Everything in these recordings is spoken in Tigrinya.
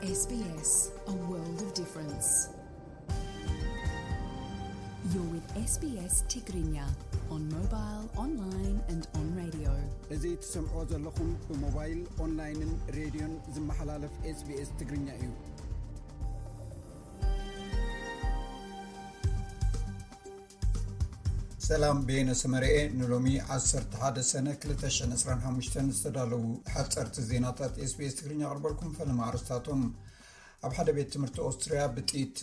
S B S, a world of difference. You're with S B S Tigrinya on mobile, online and on radio. እዚ ትሰምዖ ዘለኹም ብሞባይል፣ ኦንላይንን ሬድዮን ዝመሓላለፍ S B S ትግርኛ እዩ። ሰላም፣ በየነ ሰመረኤ። ንሎሚ ዓሰርተ ሓደ ሰነ ክልተ ሽሕን ዕስራን ሓሙሽተን ዝተዳለዉ ሓፀርቲ ዜናታት S B S ትግርኛ ኣቕርበልኩም። ፈለማ ኣርስታቶም። ኣብ ሓደ ቤት ትምህርቲ ኦስትርያ ብጥይት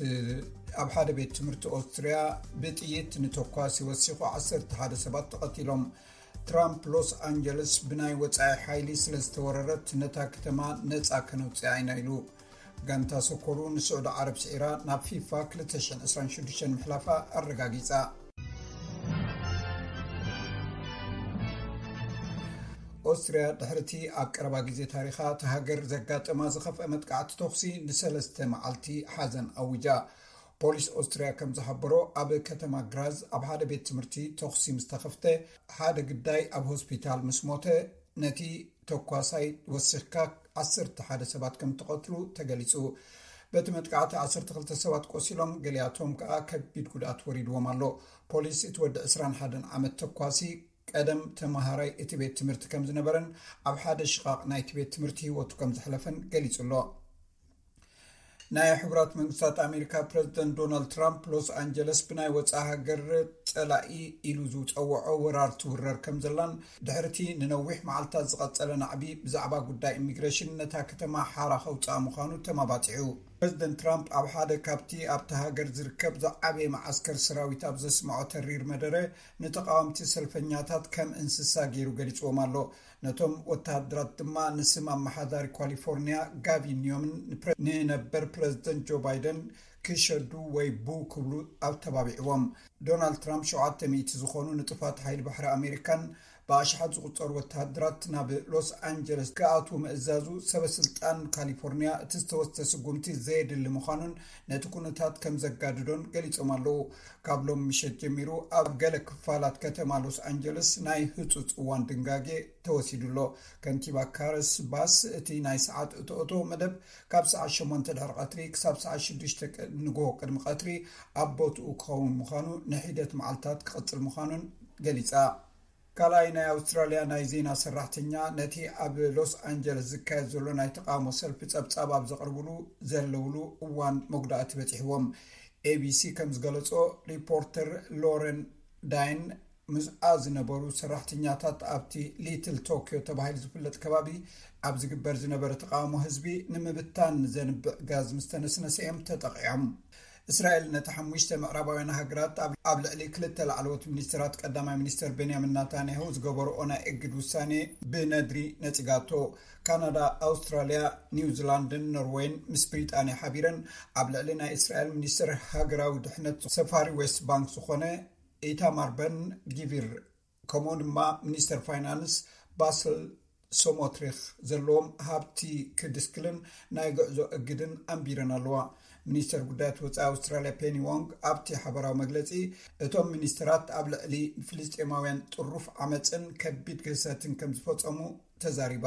ኣብ ሓደ ቤት ትምህርቲ ኦስትርያ ብጥይት ንተኳሲ ወሲኹ ዓሰርተ ሓደ ሰባት ተቐቲሎም። ትራምፕ ሎስ ኣንጀለስ ብናይ ወጻኢ ሓይሊ ስለ ዝተወረረት ነታ ከተማ ነጻ ከነውጽኣ ኢና ኢሉ። ጋንታ ሶኮሩ ንስዑዲ ዓረብ ስዒራ ናብ ፊፋ ክልተ ሽሕን ዕስራን ሽዱሽተን ምሕላፋ ኣረጋጊጻ። ኦስትርያ ድሕርቲ ኣብ ቀረባ ግዜ ታሪኻ እታ ሃገር ዘጋጠማ ዝኸፍአ መጥቃዕቲ ተኹሲ ንሰለስተ መዓልቲ ሓዘን ኣዊጃ። ፖሊስ ኦስትርያ ከም ዝሓበሮ ኣብ ከተማ ግራዝ ኣብ ሓደ ቤት ትምህርቲ ተኹሲ ምስ ተኸፍተ ሓደ ግዳይ ኣብ ሆስፒታል ምስ ሞተ ነቲ ተኳሳይ ወሲኽካ ዓሰርተ ሓደ ሰባት ከም ተቐትሉ ተገሊጹ። በቲ መጥቃዕቲ ዓሰርተ ክልተ ሰባት ቆሲሎም፣ ገሊኣቶም ከኣ ከቢድ ጉድኣት ወሪድዎም ኣሎ። ፖሊስ እቲ ወዲ ዕስራን ሓደን ዓመት ተኳሲ ቀደም ተመሃራይ እቲ ቤት ትምህርቲ ከም ዝነበረን ኣብ ሓደ ሽቓቕ ናይቲ ቤት ትምህርቲ ህይወቱ ከም ዘሕለፈን ገሊጹ ኣሎ። ናይ ሕቡራት መንግስታት ኣሜሪካ ፕረዚደንት ዶናልድ ትራምፕ ሎስ ኣንጀለስ ብናይ ወፃኢ ሃገር ፀላኢ ኢሉ ዝፀውዖ ወራር ትውረር ከም ዘላን ድሕርቲ ንነዊሕ መዓልታት ዝቐፀለ ናዕቢ ብዛዕባ ጉዳይ ኢሚግሬሽን ነታ ከተማ ሓራ ከውፅኣ ምዃኑ ተማባፂዑ። ፕረዚደንት ትራምፕ ኣብ ሓደ ካብቲ ኣብቲ ሃገር ዝርከብ ዝዓበየ መዓስከር ሰራዊት ኣብ ዘስምዖ ተሪር መደረ ንተቓወምቲ ሰልፈኛታት ከም እንስሳ ገይሩ ገሊፅዎም ኣሎ። ነቶም ወተሃደራት ድማ ንስም ኣመሓዳሪ ካሊፎርኒያ ጋቪን ኒዮምን ንፕረ- ንነበር ፕረዚደንት ጆ ባይደን ክሸዱ ወይ ቡ ክብሉ ኣተባቢዕዎም። ዶናልድ ትራምፕ ሸውዓተ ሚእቲ ዝኾኑ ንጡፋት ሓይሊ ባሕሪ ኣሜሪካን ብኣሽሓት ዝቑጸሩ ወተሃደራት ናብ ሎስ ኣንጀለስ ክኣትዉ ምእዛዙ ሰበ ስልጣን ካሊፎርኒያ እቲ ዝተወስደ ስጉምቲ ዘየድሊ ምዃኑን ነቲ ኩነታት ከም ዘጋድዶን ገሊጾም ኣለዉ። ካብ ሎም ምሸት ጀሚሩ ኣብ ገለ ክፋላት ከተማ ሎስ ኣንጀለስ ናይ ህጹጽ እዋን ድንጋጌ ተወሲዱ ኣሎ። ከንቲባ ካረስ ባስ እቲ ናይ ሰዓት እቶእቶ መደብ ካብ ሰዓት ሸሞንተ ድሕሪ ቀትሪ ክሳብ ሰዓት ሽዱሽተ ንግሆ ቅድሚ ቀትሪ ኣብ ቦትኡ ክኸውን ምዃኑ ንሒደት መዓልታት ክቕጽል ምዃኑን ገሊጻ። ካልኣይ ናይ ኣውስትራልያ ናይ ዜና ሰራሕተኛ ነቲ ኣብ ሎስ ኣንጀለስ ዝካየድ ዘሎ ናይ ተቃውሞ ሰልፊ ጸብጻብ ኣብ ዘቕርብሉ ዘለውሉ እዋን መጉዳእቲ በጺሕዎም። ኤቢሲ ከም ዝገለጾ፣ ሪፖርተር ሎረን ዳይን ምስኣ ዝነበሩ ሰራሕተኛታት ኣብቲ ሊትል ቶኪዮ ተባሂሉ ዝፍለጥ ከባቢ ኣብ ዝግበር ዝነበረ ተቃውሞ ህዝቢ ንምብታን ዘንብዕ ጋዝ ምስ ተነስነሰ እዮም ተጠቂዖም። እስራኤል ነቲ ሓሙሽተ ምዕራባውያን ሃገራት ኣብ ልዕሊ ክልተ ላዕለዎት ሚኒስትራት ቀዳማይ ሚኒስትር ቤንያሚን ናታንያሁ ዝገበርኦ ናይ እግድ ውሳኔ ብነድሪ ነጺጋቶ። ካናዳ፣ ኣውስትራልያ፣ ኒውዚላንድን ኖርወይን ምስ ብሪጣንያ ሓቢረን ኣብ ልዕሊ ናይ እስራኤል ሚኒስትር ሃገራዊ ድሕነት ሰፋሪ ዌስት ባንክ ዝኾነ ኢታማር በን ጊቪር፣ ከምኡ ድማ ሚኒስተር ፋይናንስ ባስል ሶሞትሪክ ዘለዎም ሃብቲ ክድስክልን ናይ ጉዕዞ እግድን ኣንቢረን ኣለዋ። ሚኒስተር ጉዳያት ወጻኢ ኣውስትራልያ ፔኒ ዎንግ ኣብቲ ሓበራዊ መግለጺ፣ እቶም ሚኒስተራት ኣብ ልዕሊ ፍልስጤማውያን ጥሩፍ ዓመጽን ከቢድ ግህሰትን ከም ዝፈጸሙ ተዛሪባ።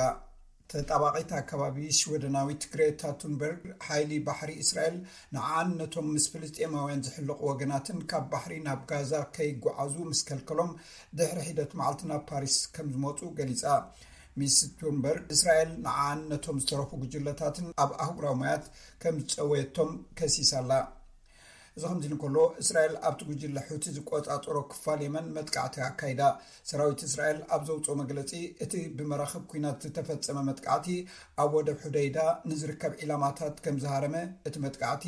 ተጣባቒት ኣከባቢ ሽወደናዊት ግሬታ ቱንበርግ፣ ሓይሊ ባሕሪ እስራኤል ንዓን ነቶም ምስ ፍልስጤማውያን ዝሕለቑ ወገናትን ካብ ባሕሪ ናብ ጋዛ ከይጓዓዙ ምስ ከልከሎም ድሕሪ ሒደት መዓልቲ ናብ ፓሪስ ከም ዝመጹ ገሊጻ። ሚስ ቱንበርግ፣ እስራኤል ንዓን ነቶም ዝተረፉ ጉጅለታትን ኣብ ኣህጉራዊ ማያት ከም ዝጸወየቶም ከሲሳ ኣላ። እዚ ከምዚ እንከሎ፣ እስራኤል ኣብቲ ጉጅለ ሑቲ ዝቆጻጸሮ ክፋል የመን መጥቃዕቲ ኣካይዳ። ሰራዊት እስራኤል ኣብ ዘውጽኦ መግለጺ፣ እቲ ብመራኽብ ኲናት ዝተፈጸመ መጥቃዕቲ ኣብ ወደብ ሑደይዳ ንዝርከብ ዒላማታት ከም ዝሃረመ፣ እቲ መጥቃዕቲ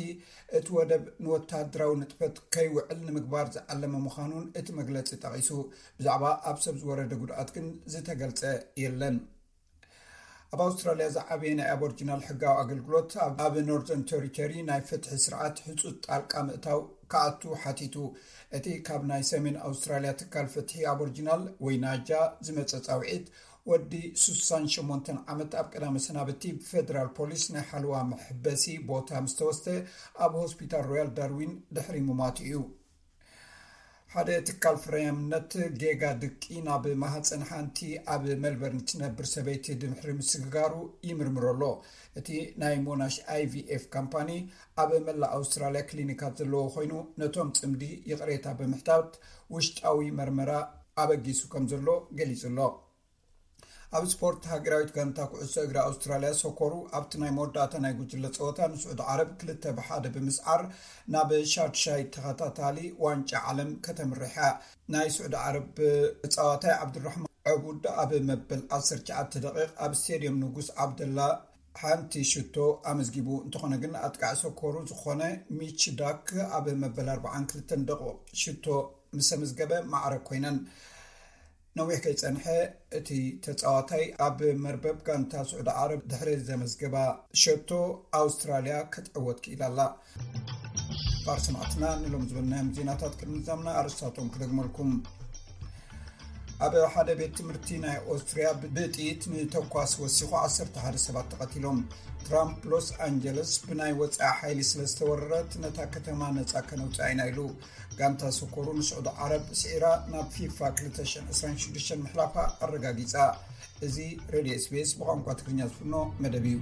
እቲ ወደብ ንወተሃደራዊ ንጥፈት ከይውዕል ንምግባር ዝዓለመ ምዃኑን እቲ መግለጺ ጠቒሱ። ብዛዕባ ኣብ ሰብ ዝወረደ ጉድኣት ግን ዝተገልጸ የለን። ኣብ ኣውስትራልያ ዝዓበየ ናይ ኣቦርጂናል ሕጋዊ ኣገልግሎት ኣብ፣ ኣብ ኖርዘርን ቴሪቶሪ ናይ ፍትሒ ስርዓት ህጹጽ ጣልቃ ምእታው ክኣቱ ሓቲቱ። እቲ ካብ ናይ ሰሜን ኣውስትራልያ ትካል ፍትሒ ኣቦርጂናል ወይ ናጃ ዝመጸ ጻውዒት፣ ወዲ ስሳን ሸሞንተን ዓመት ኣብ ቀዳመ ሰናብቲ ብፌደራል ፖሊስ ናይ ሓለዋ መሕበሲ ቦታ ምስ ተወስደ ኣብ ሆስፒታል ሮያል ዳርዊን ድሕሪ ምማቱ እዩ። ሓደ ትካል ፍርያምነት ጌጋ ድቂ ናብ ማህፀን ሓንቲ ኣብ ሜልበርን ትነብር ሰበይቲ ድምሕሪ ምስግጋሩ ይምርምሮ ኣሎ። እቲ ናይ ሞናሽ IVF ካምፓኒ ኣብ መላእ ኣውስትራልያ ክሊኒካት ዘለዎ ኮይኑ፣ ነቶም ፅምዲ ይቕሬታ ብምሕታት ውሽጣዊ መርመራ ኣበጊሱ ከም ዘሎ ገሊጹ ኣሎ። ኣብ ስፖርት፣ ሃገራዊት ጋንታ ኩዕሶ እግሪ ኣውስትራልያ ሶኮሩ ኣብቲ ናይ መወዳእታ ናይ ጉጅለ ጸወታ ንስዑድ ዓረብ ክልተ ብሓደ ብምስዓር ናብ ሻድሻይ ተኸታታሊ ዋንጫ ዓለም ከተምርሕ እያ። ናይ ስዑድ ዓረብ ተጻዋታይ ዓብዱራሕማን ዕቡድ ኣብ መበል ዓሰርተ ትሽዓተ ደቂቕ ኣብ ስቴድየም ንጉስ ዓብደላ ሓንቲ ሽቶ ኣመዝጊቡ። እንተኾነ ግን ኣጥቃዕ ሶኮሩ ዝኾነ ሚች ዳክ ኣብ መበል ኣርባዓን ክልተን ደቂቕ ሽቶ ምስ ኣመዝገበ ማዕረ ኮይነን። ነዊሕ ከይጸንሐ እቲ ተጻዋታይ ኣብ መርበብ ጋንታ ስዑዲ ዓረብ ድሕሪ ዘመዝገባ ሸቶ ኣውስትራልያ ክትዕወት ክኢላ ኣላ። ክቡር ሰማዕትና፣ ንሎም ዝበልናዮም ዜናታት ቅድሚ ምዛምና ኣርስታቶም ክደግመልኩም። ኣብ ሓደ ቤት ትምህርቲ ናይ ኦስትሪያ ብጥይት ንተኳስ ወሲኹ ዓሰርተ ሓደ ሰባት ተቐቲሎም። ትራምፕ ሎስ ኣንጀለስ ብናይ ወጻኢ ሓይሊ ስለ ዝተወረረት ነታ ከተማ ነጻ ከነውጽኣ ኢና ኢሉ። ጋንታ ሶኮሩ ንስዑዲ ዓረብ ስዒራ ናብ ፊፋ ክልተ ሽሕን ዕስራን ሽዱሽተን ምሕላፋ ኣረጋጊጻ። እዚ ሬድዮ SBS ብቋንቋ ትግርኛ ዝፍኖ መደብ እዩ።